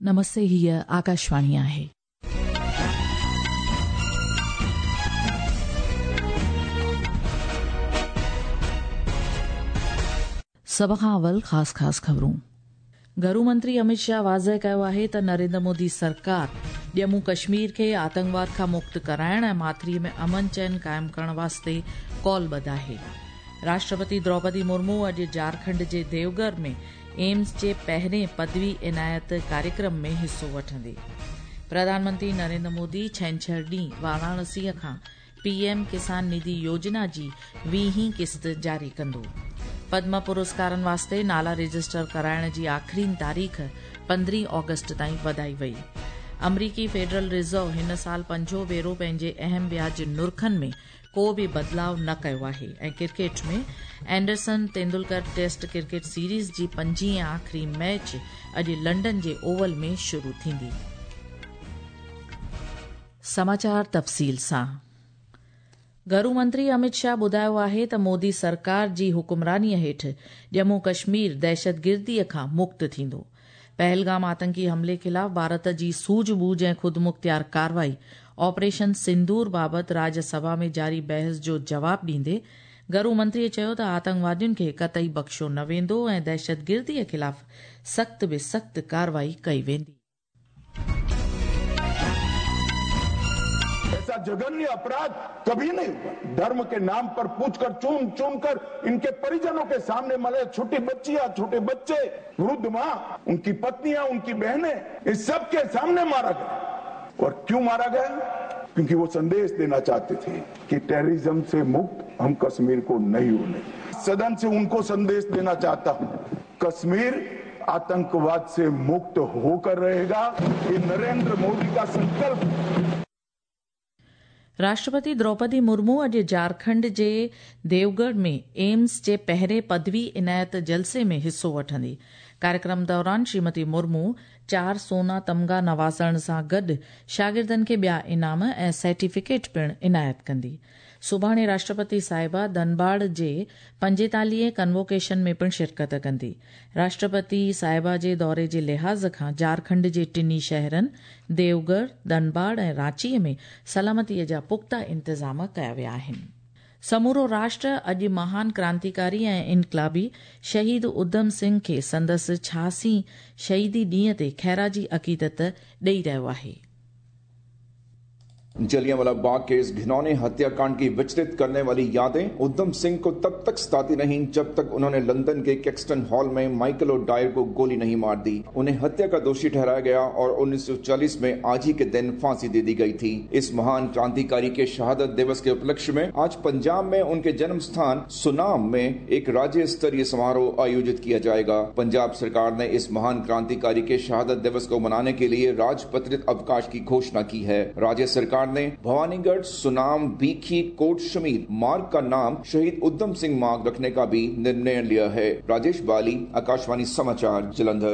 نمستي هيء آڪاشواڻي آهي. سڀ کان اول خاص خاص خبرون. گهرو منتري امت شاهه واضح ڪيو آهي ته نريندر مودي سرڪار ڄمون ڪشمير کي آتنڪواد کان مڪت ڪرائڻ ۽ ماٿري ۾ امن چين قائم ڪرڻ واسطي قولبڌ آهي. راشٽرپتي دروپدي مرمو اڄ جهارکنڊ جي ديوگهر ۾ ايمز جي پهرين پدوي عنايت ڪاريڪرم ۾ حصو وٺندي. پرڌان منتري نريندر مودي ڇنڇر ڏينهن واراڻسيء کان پي ايم ڪسان نڌي يوجنا جي ويهين قسط جاري ڪندو. پدم پرسڪارن واسطي نالا رجسٽر ڪرائڻ جي آخرين تاريخ پندرهين آگسٽ تائين وڌائي وئي. آمريڪي فيڊرل ريزرو هن سال پنجون ڀيرو پنهنجي اهم وياج نرخن ۾ ڪو به بدلاء نه ڪيو آهي ۽ cricket ۾ Anderson Tendulkar test cricket series جي پنجين ۽ آخري ميچ اڄ لنڊن جي اوول ۾ شروع ٿيندي. سماچار تفصيل سان گهرو منتري امت شاهه ٻڌايو آهي ته مودي سرڪار جي حڪمرانيء هيٺ ڄمون ڪشمير دهشتگرديء کان مڪت ٿيندو. پهلگام آتنڪي حملي خلاف ڀارت جي سوجهه ٻوجهه ۽ خودمختيار ڪارروائي آپريشن سندور بابت راجيه سڀا ۾ جاري بحث جو جواب ڏيندي گهرو منتريء چيو ته آتنڪوادين کي قطعي بخشيو نه ويندو ۽ دهشتگرديء خلاف سخت به سخت ڪارروائي ڪئي ويندي. ऐसा जघन्य अपराध कभी नहीं हुआ। धर्म के नाम पर पूछकर चुन चुनकर इनके परिजनों के सामने मरे छोटी बच्चियां, छोटे बच्चे, वृद्ध माँ, उनकी पत्नियां, उनकी बहनें, इस सब के सामने मारा गया। और क्यों मारा गया? क्योंकि वो संदेश देना चाहते थे कि टेररिज्म से मुक्त हम कश्मीर को नहीं होने। सदन से उनको संदेश देना चाहता हूं, कश्मीर आतंकवाद से मुक्त होकर रहेगा। ये नरेंद्र मोदी का संकल्प। راشٽرپتي دروپدي مرمو اڄ جهارکنڊ جي ديوگهر ۾ ايمز جي پهرين پدوي عنايت جلسي ۾ حصو وٺندي. ڪاريڪرم دوران شريمتي مرمو چار سونا تمغا نوازڻ سان گڏ شاگردن کي ٻيا انعام ۽ سرٽيفڪيٽ پڻ عنايت ڪندي. سڀاڻي راشٽرپتي صاحبه ڌنباڊ جي پنجيتاليهين ڪنووڪيشن ۾ پڻ شرڪت ڪندي. راشٽرپتي صاحبه جي دوري جي لحاظ کان جهارکنڊ جي ٽنهي شهرن ديوگهر، ڌنباڊ ۽ رانچي ۾ سلامتي جا پختا انتظام ڪيا ويا آهن. سمورو راشٽر اڄ مهان ڪرانتيڪاري ۽ انقلابي شهيد اڌم سنگهه کي سندس ڇهاسي شهيدي ڏينهن تي خراج عقيدت ڏئي رهيو آهي. जलियांवाला बाग के इस घिनौने हत्याकांड की विचलित करने वाली यादें उधम सिंह को तब तक सताती रहीं जब तक उन्होंने लंदन के कैक्सटन हॉल में माइकल ओ'डायर को गोली नहीं मार दी। उन्हें हत्या का दोषी ठहराया गया और 1940 में आज ही के दिन फांसी दे दी गई थी। इस महान क्रांतिकारी के शहादत दिवस के उपलक्ष्य में आज पंजाब में उनके जन्म स्थान सुनाम में एक राज्य स्तरीय समारोह आयोजित किया जाएगा। पंजाब सरकार ने इस महान क्रांतिकारी के शहादत दिवस को मनाने के लिए राजपत्रित अवकाश की घोषणा की है। राज्य सरकार ने भवानीगढ़ सुनाम बीखी कोट शमीर मार्ग का नाम शहीद उधम सिंह मार्ग रखने का भी निर्णय लिया है। राजेश बाली, आकाशवाणी समाचार, जलंधर।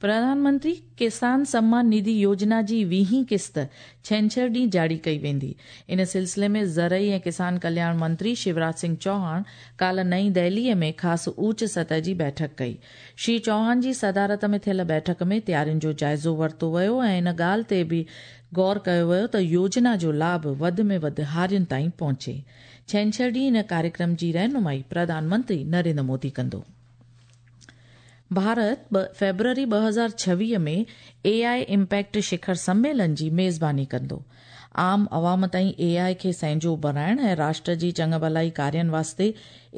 प्रधान मंत्री किसान सम्मान निधि योजना जी वीहीं क़िस्त छंछर ॾींहुं जारी कई वेंदी। इन सिलसिले में ज़रई ऐं किसान कल्याण मंत्री शिवराज सिंह चौहान काल्ह नई दिल्लीअ में ख़ासि ऊच सतह जी बैठक कई। श्री चौहान जी सदारत में थियल बैठक में तयारियुनि जो जाइज़ो वरितो वियो ऐं इन ॻाल्हि ते बि गौर कयो वियो त योजना जो लाभ वधि में वधि हारियुनि ताईं पहुचे। छंछर ॾींहुं इन कार्यक्रम जी रहनुमाई प्रधानमंत्री नरेंद्र मोदी कंदो। भारत फेब्रुअरी 2026 में एआई इम्पैक्ट शिखर सम्मेलन जी मेज़बानी कंदो। आम अवाम ताईं एआई खे सहजो बणाइण ऐं राष्ट्र जी चङु भलाई कार्यनि वास्ते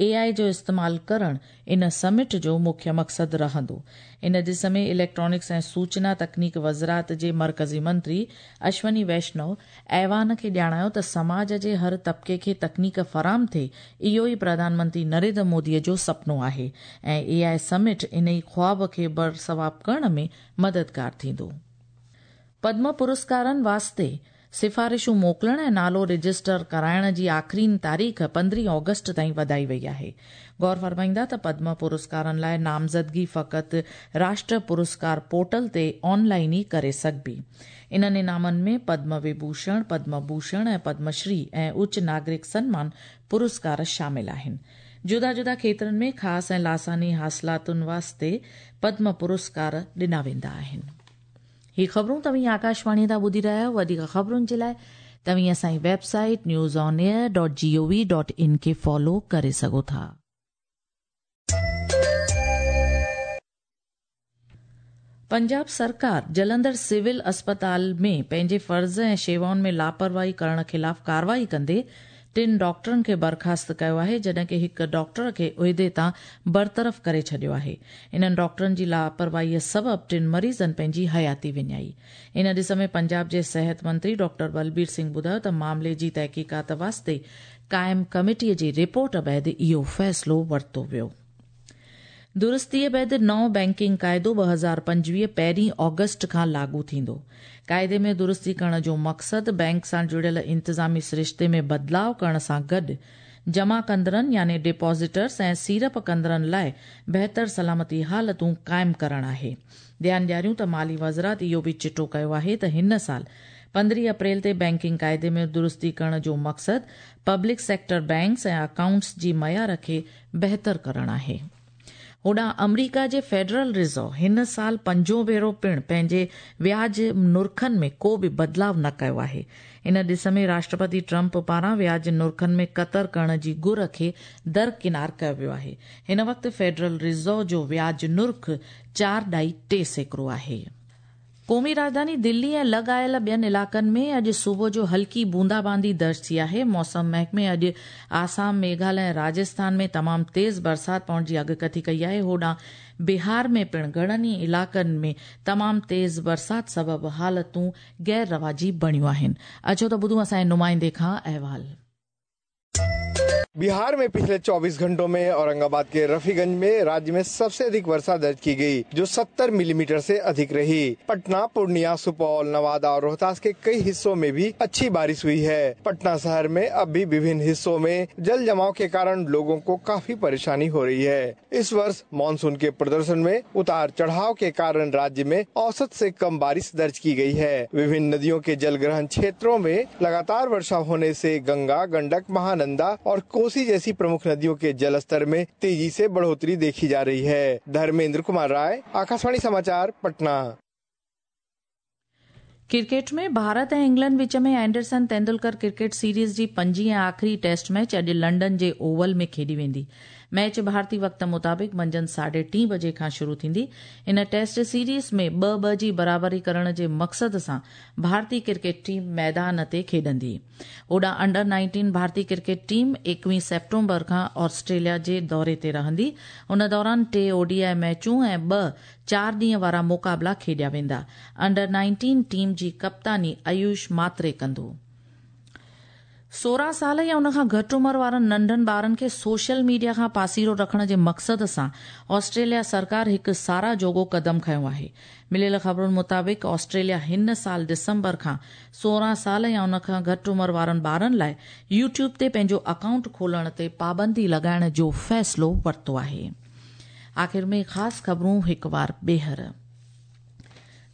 एआई जो इस्तेमाल करण इन समिट जो मुख्य मक़सदु रहंदो। इन ॾिस में इलेक्ट्रॉनिक्स ऐं सूचना तकनीक वज़ारत जे मरकज़ी मंत्री अश्वनी वैष्णव ऐवान खे ॼाणायो त समाज जे हर तबिके खे तकनीक फराहम थिए, इहो ई प्रधानमंत्री नरेंद्र मोदीअ जो सपनो आहे ऐं एआई समिट इन ई ख़्वाब खे बरसवाब करण में मददगार थींदो। पद्म पुरस्कारनि वास्ते सिफारिशूं मोकिलण ऐं नालो रजिस्टर कराइण जी आख़िरी तारीख़ 15 ऑगस्ट ताईं वधाई वई आहे। गौर फरमाईंदा त पद्म पुरस्कारनि लाइ नामज़दगी फ़क़ति राष्ट्र पुरस्कार पोर्टल ते ऑनलाइन ई करे सघिबी। इन्हनि इनामनि में पद्म विभूषण, पद्म भूषण ऐं पद्मश्री ऐं उच्च नागरिक सन्मान पुरस्कार शामिल आहिनि। جدا جدا کيترن ۾ خاص ۽ لاثاني حاصلاتن واسطي پدم پرسڪار ڏنا ويندا آهن. هي خبرون توهين آڪاشواڻي تان ٻڌي رهيا آهيو. وڌيڪ خبرن جي لاء توهين اسان جي website news on air dot G O V dot in کي فالو ڪري سگهو ٿا. پنجاب سرڪار جلندر سول اسپتال ۾ پنهنجي فرض ۽ شيوائن ۾ لاپرواهي ڪرڻ خلاف ڪارروائي ڪندي ٽن ڊاڪٽرن کي برخاست ڪيو آهي جڏهن ڪه هڪ ڊاڪٽر کي عهدي تان برطرف ڪري ڇڏيو آهي. انهن ڊاڪٽرن جي لاپرواهي سبب ٽن مريضن پنهنجي حياتي وڃائي. ان ڏس ۾ پنجاب جي صحت منتري ڊاڪٽر بلبير سنگهه ٻڌايو ته معاملي جي تحقيقات واسطي قائم ڪميٽي جي رپورٽ بعد اهو فيصلو ورتو ويو. درستيء بعد نئون بئنڪنگ قاعدو 2025 پهرين آگسٽ کان لاڳو ٿيندو. قاعدي ۾ درستي ڪرڻ جو مقصد بئنڪ سان جڙيل انتظامي سرشتي ۾ بدلاء ڪرڻ سان گڏ جمع ڪندڙن يعني ڊپازيٽرز ۽ سيڙپ ڪندڙن لاء بهتر سلامتي حالتون قائم ڪرڻ آهي. ڌيان ڏياريون ته مالي وزارت اهو به چٽو ڪيو آهي ته هن سال 15 اپريل تي بئنڪنگ قاعدي ۾ درستي ڪرڻ جو مقصد پبلڪ سيڪٽر بئنڪس ۽ اڪائونٽس جي معيار کي بهتر ڪرڻ آهي. هوڏانهن آمريڪا جي فيڊرل ريزرو هن سال پنجون ڀيرو پڻ پنهنجي وياج نرخن ۾ ڪو به بدلاء نه ڪيو آهي. ان ڏس ۾ راشٽرپتي ٽرمپ پاران وياج نرخن ۾ ڪتر ڪرڻ جي گهر کي درڪنار ڪيو ويو آهي. هن وقت فيڊرل ريزرو جو وياج نرخ 4.3% آهي. قومي راڄڌاني دلي ۽ لڳ آيل ٻين علائقن ۾ اڄ صبح جو هلڪي بوندا باندي درج ٿي آهي. موسم محڪمي اڄ آسام، ميگهاليه ۽ راجسٿان ۾ تمام تيز برسات پوڻ جي اڳڪٿي ڪئي آهي. هوڏانهن بهار ۾ پڻ گهڻن ئي علائقن ۾ تمام تيز برسات سبب حالتون غير رواجي بڻيون آهن. اچو ته ٻڌون اسان جي نمائندي کان احوال. बिहार में पिछले 24 घंटों में औरंगाबाद के रफीगंज में राज्य में सबसे अधिक वर्षा दर्ज की गई, जो 70 मिलीमीटर से अधिक रही। पटना, पूर्णिया, सुपौल, नवादा और रोहतास के कई हिस्सों में भी अच्छी बारिश हुई है। पटना शहर में अब भी विभिन्न हिस्सों में जल जमाव के कारण लोगों को काफी परेशानी हो रही है। इस वर्ष मानसून के प्रदर्शन में उतार चढ़ाव के कारण राज्य में औसत से कम बारिश दर्ज की गई है। विभिन्न नदियों के जलग्रहण क्षेत्रों में लगातार वर्षा होने से गंगा, गंडक, महानंदा और कोसी जैसी प्रमुख नदियों के जल स्तर में तेजी से बढ़ोतरी देखी जा रही है। धर्मेंद्र कुमार राय, आकाशवाणी समाचार, पटना। क्रिकेट में भारत ऐं इंग्लैंड विच में एंडरसन तेंदुलकर क्रिकेट सीरीज जी पंजीं ऐं आख़िरी टेस्ट मैच अॼु लंडन जे ओवल में खेॾी वेंदी। मैच भारतीय वक़्त मुताबिक़ मंझंदि 3:30 बजे खां शुरू थींदी। इन टेस्ट सीरीज में 2-2 जी बराबरी करण जे मक़सद सां भारतीय क्रिकेट टीम मैदान ते खेॾंदी। होॾां अंडर 19 भारतीय क्रिकेट टीम 21 सेप्टेम्बर खां ऑस्ट्रेलिया जे दौरे ते रहंदी। उन दौरान 3 ओडीआई मैचूं ऐं 2 4 ॾींहं वारा मुक़ाबला खेॾिया वेंदा। अंडर 19 टीम जी कप्तानी आयुष मात्रे कंदो। 16 साल या उन खां घटि उमिरि वारनि नंढनि ॿारनि खे सोशल मीडिया खां पासीरो रखण जे मक़सद सां ऑस्ट्रेलिया सरकार हिकु साराह जोॻो कदम खयो आहे। मिलियल ख़बरुनि मुताबिक़ ऑस्ट्रेलिया हिन साल दिसंबर खां 16 साल या उन खां घटि उमिरि वारनि ॿारनि लाइ यूट्यूब ते पंहिंजो अकाउंट खोलण ते पाबंदी लॻाइण जो फ़ैसिलो वरितो आहे। आख़िर में ख़ासि ख़बरूं हिकु वार ॿीहर।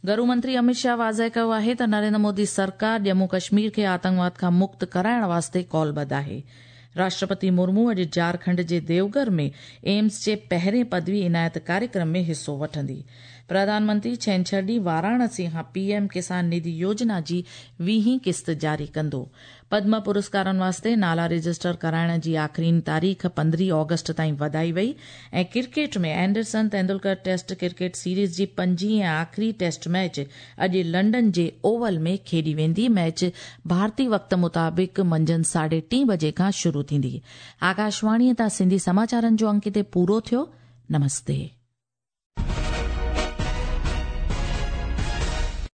गृह मंत्री अमित शाह वाज़ेह कयो आहे त नरेंद्र मोदी सरकार जम्मू कश्मीर खे आतंकवाद खां मुक्त कराइण वास्ते कौलबद्ध आहे। राष्ट्रपति मुर्मू अॼु झारखंड जे देवघर में एम्स जे पहिरें पदवी इनायत कार्यक्रम में हिसो वठंदी। प्रधानमंत्री छेंछर ॾींहुं वाराणसी खां पीएम किसान निधि योजना जी 20वीं किस्त जारी कंदो। पद्म पुरस्कारनि वास्ते नाला रजिस्टर कराइण जी आख़िरी तारीख़ 15 ऑगस्ट ताईं वधाई वई। ऐं cricket में Anderson Tendulkar test cricket series जी पंजीं ऐं आख़िरी टेस्ट मैच अॼु लंडन जे ओवल में खेॾी वेंदी। मैच भारतीय वक़्त मुताबिक़ मंझंदि 3:30 बजे खां शुरू थींदी। आकाशवाणीअ तां सिंधी समाचारनि जो अंक हिते पूरो थियो। नमस्ते।